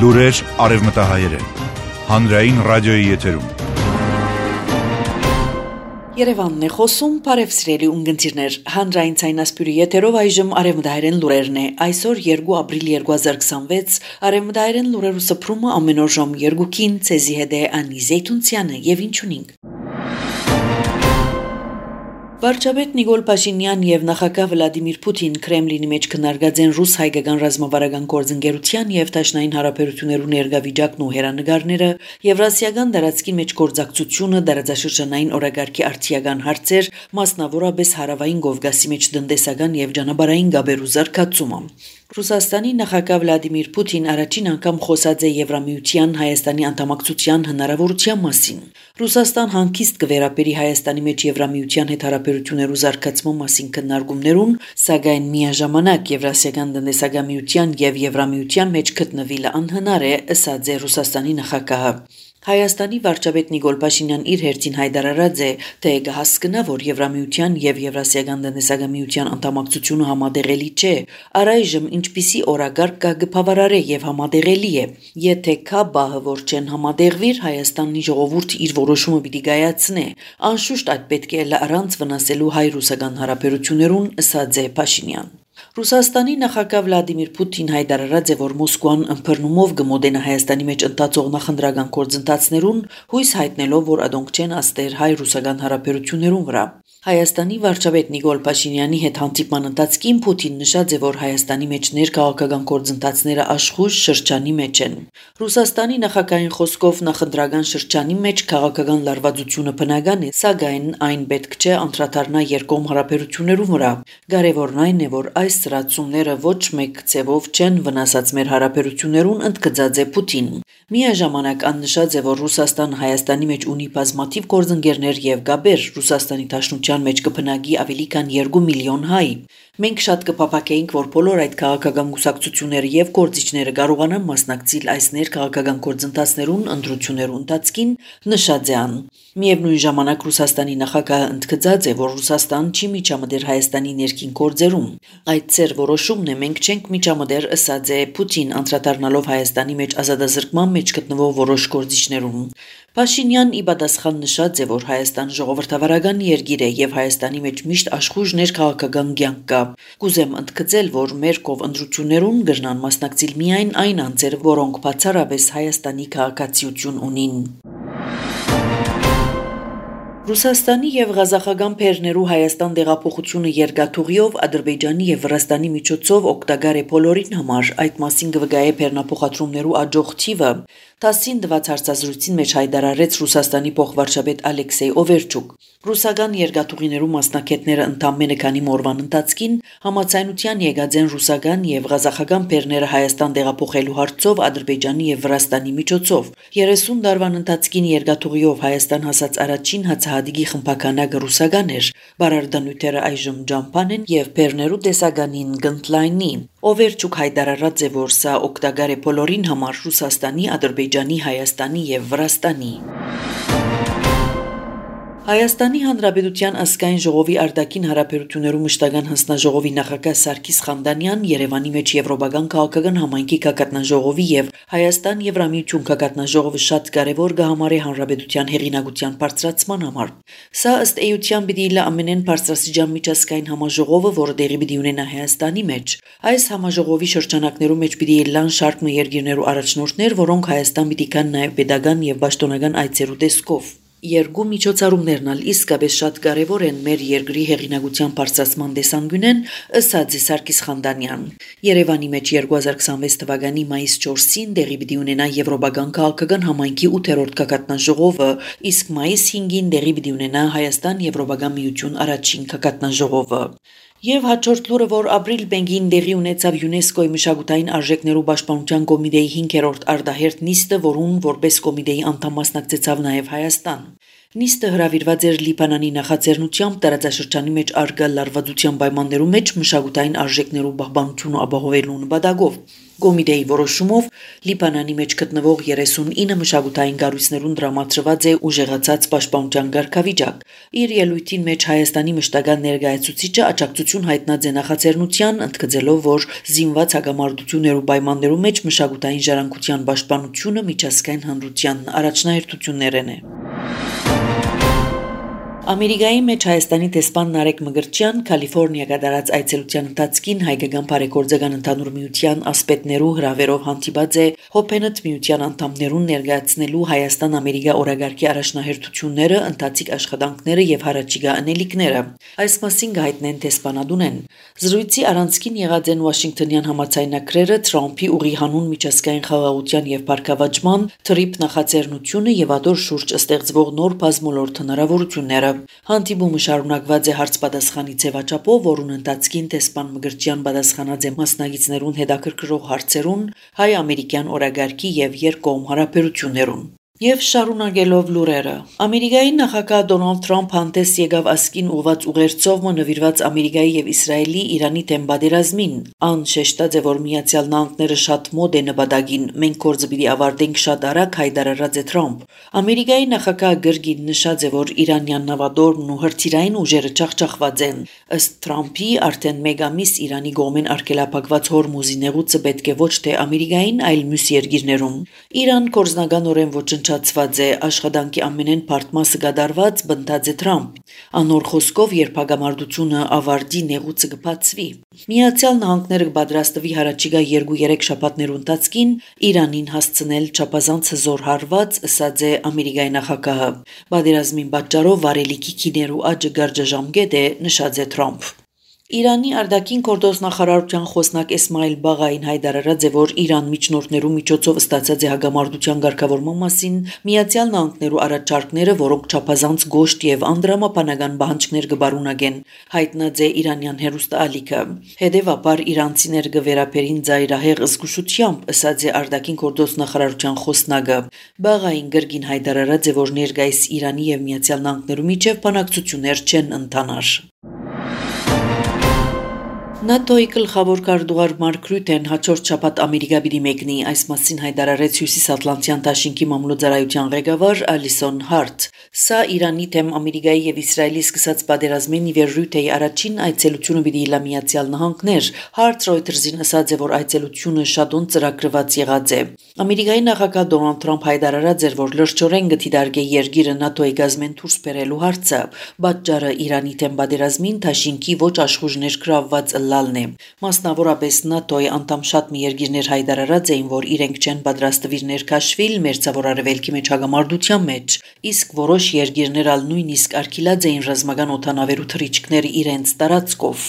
Լուրեր արևմտահայերեն։ Հանրային ռադիոյի եթերում։ Երևանն է խոսում, բարև սիրելի ունգընտիրներ, հանրային ցայնասպյուրի եթերով այժմ արևմտահայերեն լուրերն է, այսօր 2 ապրիլ 2026, արևմտահայերեն լուրերու սփռումը ամեն օր ժամ 2-ին, ցեզի հետ է Անի Զեյթունցյանը եւ ինչ ունենք։ Վարչապետ Նիկոլ Փաշինյան եւ նախագահ Վլադիմիր Պուտին Կրեմլինի մեջ քննարկած են ռուս-հայկական ռազմավարական գործընկերության եւ Դաշնային հարաբերություններու ներգավիճակն ու հերանեկարները, Եվրասիական տարածքի մեջ գործակցությունը, դարաձաշրջանային օրագարկի արդիական հարցեր, մասնավորապես հարավային Կովկասի մեջ տնտեսական եւ ճանապարհային գաբերու զարգացումը։ Ռուսաստանի նախագահ Վլադիմիր Պուտին առաջին անգամ խոսած է Եվրամիության Հայաստանի անդամակցության հնարավորության մասին։ Ռուսաստան հանգիստ կվերապերի Հայաստանի մեջ Եվրամիության հետ հարաբերություններու զարգացման մասին քննարկումներուն, սակայն միաժամանակ Եվրասիական տնտեսական միության եւ Եվրամիության մեջ գտնվելը անհնար է, ըսած է Ռուսաստանի նախագահը։ Հայաստանի վարչապետ Նիկոլ Փաշինյան իր հերթին հայտարարած է, թե կհասկնա, որ Եվրամիության եւ Եվրասիական տնտեսական միության անդամակցությունը համադեղելի չէ, առայժմ ինչպիսի օրագարկ կա գփավարարե եւ համադեղելի է։ Եթե կա բահը, որ չեն համադեղվիր, Հայաստանի ժողովուրդը իր որոշումը պիտի կայացնե։ Անշուշտ այդ պետք է առանց վնասելու հայ-ռուսական հարաբերություններուն, ըսած է Փաշինյան։ Ռուսաստանի նախագահ Վլադիմիր Պուտին հայտարարած է, որ Մոսկվան ըմբռնումով կմոտենա Հայաստանի մեջ ընթացող նախընտրական գործընթացներուն, հույս հայտնելով, որ ադոնք չեն աստեր հայ-ռուսական հարաբերություններուն վրա։ Հայաստանի վարչապետ Նիկոլ Փաշինյանի հետ հանդիպման ընթացքին Պուտին նշած է, որ Հայաստանի մեջ ներքաղաքական գործընթացները աշխույժ շրջանի մեջ են։ Ռուսաստանի նախագահային խոսքով նախընտրական շրջանի մեջ քաղաքական լարվածությունը բնական է, սակայն այն պետք չէ անդրադառնա երկկողմ հարաբերություններու վրա։ Կարևորն այն է, որ այս ծրացումները ոչ մեկ ձևով չեն վնասած մեր հարաբերություններուն, ընդգծած է Պուտին։ Միաժամանակ աննշած է, որ Ռուսաստան Հայաստանի մեջ ունի բազմաթիվ գործընկերներ եւ գաբեր, Ռուսաստանի Դաշնության մեջ կբնակի ավելի քան 2 միլիոն հայ։ Մենք շատ կփափակեինք, որ բոլոր այդ քաղաքական կուսակցությունները եւ գործիչները կարողանան մասնակցել այս ներքաղաքական գործընթացներուն ընտրություններու ընթացքին, նշած է ան։ Միևնույն ժամանակ Ռուսաստանի նախագահը ընդգծած է, որ Ռուսաստան չի միջամտեր Հայաստանի ներքին գործերում։ Այդ ծեր որոշումն է, մենք չենք միջամտեր, ըսած է Պուտին, անդրադառնալով Հայաստանի մեջ ազատազրկման մեջ գտնվող որոշ գործիչներուն։ Փաշինյան ի պատասխան նշած է, որ Հայաստան ժողովրդավարական երկիր է եւ Հայաստանի մեջ միշտ աշխույժ ներքաղաքական կյանք կա։ Կուզեմ ընդգծել, որ մեր կով ընտրություններուն կրնան մասնակցել միայն այն անձեր, որոնք բացառապես Հայաստանի քաղաքացիություն ունին։ Ռուսաստանի եւ Ղազախական բեռներու Հայաստան տեղափոխությունը երկաթուղիով Ադրբեջանի եւ Վրաստանի միջոցով օգտակար է բոլորին համար, այդ մասին կվկայե բեռնափոխադրումներու աջող թիվը։ ՏԱՍՍ-ին տված հարցազրույցին մեջ հայտարարեց Ռուսաստանի փոխվարչապետ Ալեքսեյ Օվերչուկ։ Ռուսական երկաթուղիներու մասնակիցները ընդամենը քանի օրվան ընթացքին համաձայնության եկած են ռուսական եւ ղազախական բեռները Հայաստան տեղափոխելու հարցով Ադրբեջանի եւ Վրաստանի միջոցով։ 30 տարվան ընթացքին երկաթուղիով Հայաստան հասած առաջին հացահատիկի խմբականակը ռուսական էր, բարարդանյութերը այժմ ջամփան են եւ բեռներու տեսականին գնդլայնի։ Օվերչուկ հայտարարած է, որ սա օգտակար է բոլորին համար Ռուսաստանի, Ադրբեջանի, Հայաստանի եւ Վրաստանի։ Հայաստանի Հանրապետության ազգային ժողովի արտաքին հարաբերություններու մշտական հանձնաժողովի նախագահ Սարգիս Խամդանյան Երևանի մեջ Եվրոպական քաղաքական համայնքի կակատնաժողովի եւ Հայաստան Եվրամիություն կակատնաժողովը շատ կարեւոր կհամարի հանրապետության հեղինակության բարձրացման համար։ Սա ըստ էության պիտի լա ամենեն բարձրաստիճան միջազգային համաժողովը, որը տեղի պիտի ունենա Հայաստանի մեջ։ Այս համաժողովի շրջանակներու մեջ պիտի լան շարք երկիրներու առաջնորդներ, որոնք Հայաստան պիտի կան նաեւ pedagogan եւ պաշտոնական այցերու տեսքով։ Երկու միջոցառումներն ալ իսկապես շատ կարևոր են մեր երկրի հեղինակության բարձրացման տեսանկյունեն, ըսած է Սարգիս Խամդանյան։ Երևանի մեջ 2026 թվականի մայիս 4-ին տեղի պիտի ունենա Եվրոպական քաղաքական համայնքի 8-րդ կակատնաժողովը, իսկ մայիս 5-ին տեղի պիտի ունենա Հայաստան Եվրոպական միություն առաջին կակատնաժողովը։ Եվ հաջորդ լուրը, որ ապրիլ 5-ին տեղի ունեցավ ՅՈՒՆԵՍԿՕ-ի մշակութային արժեքներու պաշտպանության կոմիտեի 5-րդ արտահերթ նիստը, որուն որպես կոմիտեի անդամ մասնակցեցավ նաև Հայաստան։ Նիստը հրավիրված էր Լիբանանի նախաձեռնությամբ տարածաշրջանի մեջ առկա լարվածության պայմաններու մեջ մշակութային արժեքներու պահպանությունը ապահովելու նպատակով։ Կոմիտեի որոշումով Լիբանանի մեջ գտնվող 39 մշակութային կառույցներուն դրամատրված է ուժեղացած պաշտպանության կարգավիճակ։ Իր ելույթին մեջ Հայաստանի մշտական ներկայացուցիչը աջակցություն հայտնած է նախաձեռնության, ընդգծելով, որ զինված հակամարտություններու պայմաններու մեջ մշակութային ժառանգության պաշտպանությունը միջազգային հանրության առաջնահերթություններն է։ Ամերիկայի մեջ Հայաստանի դեսպան Նարեկ Մկրտչյան Կալիֆոռնիա կատարած այցելության ընթացքին հայկական բարեգործական ընդհանուր միության ասպետներու հրավերով հանդիպած է Հոփենդ միության անդամներուն ներկայացնելու Հայաստան-Ամերիկա օրագարկի առաջնահերթությունները, ընթացիկ աշխատանքները եւ հարաճիգա անելիքները։ Այս մասին գայտնեն դեսպանադունեն։ Զրույցի առանցքին եղած են Վաշինգտոնյան համաձայնագրերը Թրամփի ուղի հանուն միջազգային խաղաղության եւ բարգավաճման թրիփ նախաձեռնությունը եւ ադոր շուրջ ստեղծվող նոր բազմոլորտ հնարավորությունները։ Հանդիպումը շարունակված է հարց-պատասխանի ձևաչափով, որուն ընթացքին դեսպան Մկրտչյան պատասխանած է մասնագետներուն հետաքրքրող հարցերուն հայ-ամերիկյան օրագարկի եւ երկկողմ հարաբերություններուն։ Եվ շարունակելով լուրերը, Ամերիկայի նախագահ Դոնալդ Թրամփ հանդես եկավ ասկին ուղված ուղերձով նվիրված Ամերիկայի եւ Իսրայելի Իրանի դեմ պատերազմին։ Ան շեշտած է, որ Միացյալ Նահանգները շատ մոտ է նպատակին, մենք գործը պիտի ավարտենք շատ արագ, հայտարարած է Թրամփ։ Ամերիկայի նախագահ գրգին նշած է, որ իրանյան նավադորմն ու հրթիռային ուժերը ջախջախված են։ Ըստ Թրամփի արդեն մեկ ամիս Իրանի կողմեն արգելափակված Հորմուզի նեղուցը պետք է ոչ թե Ամերիկային, այլ մյուս երկիրներուն։ Իրան կորզնականորեն ոչնչացված է, աշխատանքի ամենեն բարդ մասը կատարված, բնտած է Թրամփ։ Անոր խոսքով, երբ հագամարտությունը ավարտի, նեղուցը կբացվի։ Միացյալ Նահանգները կպատրաստվի հարաճիգա 2-3 շաբաթներու ընթացքին Իրանին հասցնել չափազանց հզոր հարված, ըսած է Ամերիկայի նախագահը։ Պատերազմին պատճառով վարելիքի քիներու աճը գարժաժամկետ է, նշած է Թրամփ։ Իրանի արտաքին գործ նախարարության խոսնակ Էսմայիլ Բաղային հայտարարած է, որ Իրան միջնորդներու միջոցով ստացած է հագամարտության ղեկավարման մասին Միացյալ Նահանգներու առաջարկները, որոնք չափազանց գոշտ եւ անդրամապանական պահանջներ կբարունակեն, հայտնած է իրանյան հերոստալիքը։ Հետևաբար իրանցիներ կվերապերին ծայրահեղ զգուշությամբ, ըսած է արտաքին գործ նախարարության խոսնակը։ Բաղային գրգին հայտարարած է, որ ներկայիս Իրանի եւ Միացյալ Նահանգներու միջև բանակցություններ չեն ընթանար։ ՆԱՏՕ-ի գլխավոր քարտուղար Մարկ Ռյուտեն հաջորդ շաբաթ Ամերիկա պիտի մեկնի, այս մասին հայտարարեց Հյուսիսատլանտյան դաշինքի մամլոյցարայության ղեկավար Ալիսոն Հարթ։ Սա Իրանի դեմ Ամերիկայի եւ Իսրայելի սկսած պատերազմին իվեր Ռյուտեի առաջին այցելությունը պիտի լա Միացյալ Նահանգներ։ Հարթ Ռոյթերզին ասաց է, որ այցելությունը շատուն ծրագրված եղած է։ Ամերիկայի նախագահ Դոնալդ Թրամփ հայտարարած էր, որ լրջորեն գտիդարգե երկիրը ՆԱՏՕ-ի գազմեն դուրս բերելու հարցը։ Պատճառը Իրանի դեմ պատերազմին դաշինքի ոչ աշխուժ ներգրավված լալն է։ Մասնավորապես ՆԱՏՕ-ի անդամ շատ մի երկիրներ հայտարարած էին, որ իրենք չեն պատրաստվիր ներքաշվիլ մերձավոր արևելքի մեջ հագամարտության մեջ, իսկ որոշ երկիրներ ալ նույնիսկ արգելած էին ռազմական օդանավերու թռիչքները իրենց տարածքով։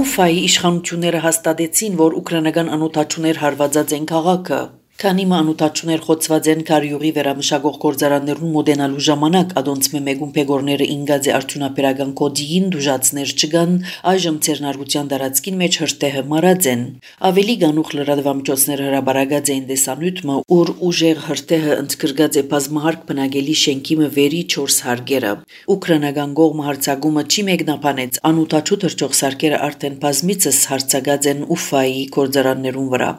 Ուֆայի իշխանությունները հաստատեցին, որ ուկրաինական անօթաչուներ հարվածած են քաղաքը։ Քանի մանուտաչուներ խոցված են Կարյուղի վերամշակող գործարաններուն մոդենալու ժամանակ ադոնցմե մեգուն փեգորները ինգաձե արդյունաբերական կոդիին դուժացներ չգան, այժմ ցերնարգության դարածքին մեջ հրտեհը մարած են։ Ավելի գանուխ լրատվամիջոցները հրաբարագած էին դեսանյութը, ուր ուժեղ հրտեհը ընդգրկած է բազմահարկ բնակելի շենքի վերի 4 հարկերը։ Ուկրաինական կողմը հարցակումը չի մեկնաբանեց, անօթաչու թրջող սարքերը արդեն բազմիցս հարցակած են Ուֆայի գործարաններուն վրա։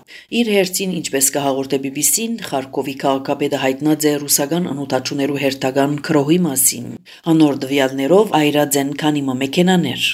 Իր հերթին, ինչպես կհաղորդե BBC-ն, Խարկովի քաղաքապետը հայտնած է ռուսական անօթաչուներու հերթական քրոհի մասին։ Անոր դվյալներով այրած են քանի մեքենաներ։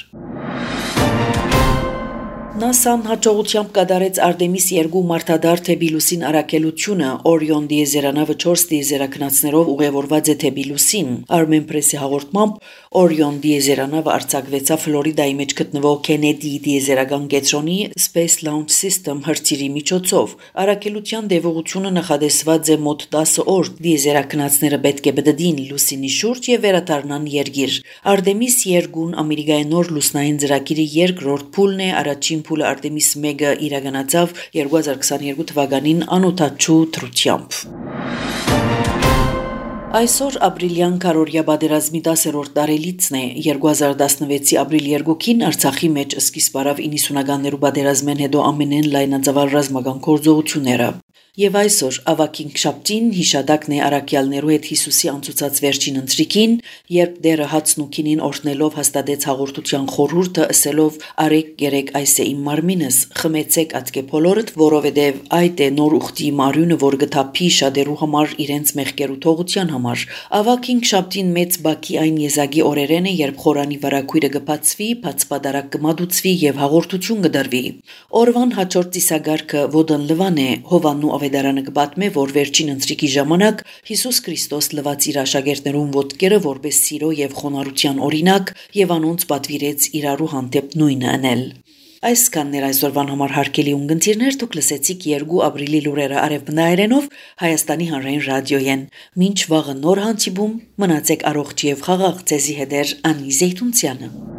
ՆԱՍԱ-ն հաջողությամբ կատարեց Արտեմիս 2 մարտադար թեպի լուսին առաքելությունը, Օրիոն դիեզերանավը 4 դիեզերաքնածներով ուղևորված է թեպի լուսին։ Armenpress-ի հաղորդմամբ Օրիոն դիեզերանավը արձակվեցավ Ֆլորիդայի մեջ գտնվող Քենեդի դիեզերական կենտրոնի Space Launch System հրթիռի միջոցով։ Առաքելության դեպողությունը նախադեсված է մոտ 10 օր։ Դիեզերաքնածները պետք է բդդին լուսինի շուրջ եւ վերադառնան երկիր։ Արտեմիս 2-ն Ամերիկայի նոր լուսնային ծրագիրի երկրորդ փուլն է, առաջին փուլը Արտեմիս 1-ը իրականացավ 2022 թվականին անօթաչու դրությամբ։ Այսօր ապրիլյան քարորյա պատերազմի 10-րդ տարելիցն է։ 2016-ի ապրիլ 2-ին Արցախի մեջ սկիզբ առավ 90-ականներու պատերազմեն հետո ամենեն լայնածավալ ռազմական գործողությունները։ Եվ այսօր ավագին շաբթին հիշադակն է առաքյալներու հետ Հիսուսի անցուցած վերջին ընթրիքին, երբ դերը հացն ու քինին օրհնելով հաստատեց հաղորդության խորհուրդը, ասելով «Արեք երեք այս է իմ մարմինս, խմեցեք ատկե բոլորդ, որովհետև այդ է նոր ուխտի մարյունը, որ գթափի շատերու համար իրենց մեղքերու թողության համար»։ Ավագին շաբթին մեծ բակի այն եզակի օրերեն է, երբ խորանի վարակույրը կբացվի, բացպատարակ կմատուցվի եւ հաղորդություն կդրվի։ Օրվան հաջորդ ծիսագարքը ոդն լվան է, Հովաննու ավետարանը կպատմե, որ վերջին ընթրիքի ժամանակ Հիսուս Քրիստոս լվաց իր աշակերտներուն ոտքերը որպես սիրո եւ խոնարհության օրինակ եւ անոնց պատվիրեց իրարու հանդեպ նույնը անել։ Այսքանն էր այսօրվան համար հարգելի ունգընտիրներ, դուք լսեցիք 2 ապրիլի լուրերը արևմտահայերենով Հայաստանի հանրային ռադիոյեն։ Մինչ վաղը նոր հանդիպում, մնացեք առողջ եւ խաղաղ, ձեզի հետ է Անի Զեյթունցյանը։